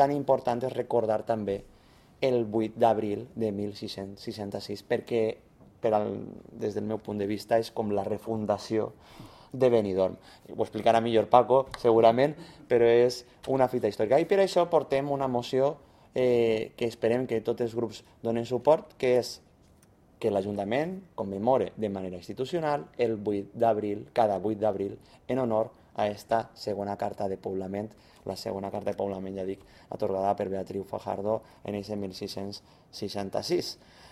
tan important és recordar també el 8 d'abril de 1666, perquè des del meu punt de vista és com la refundació de Benidorm. Ho explicarà millor Paco, segurament, però és una fita històrica. I per això portem una moció que esperem que tots els grups donen suport, que és que l'Ajuntament commemore de manera institucional el 8 d'abril, cada 8 d'abril, en honor a esta segona carta de poblament, la segona carta de poblament, ja dic, atorgada per Beatriu Fajardo en aquest 1666.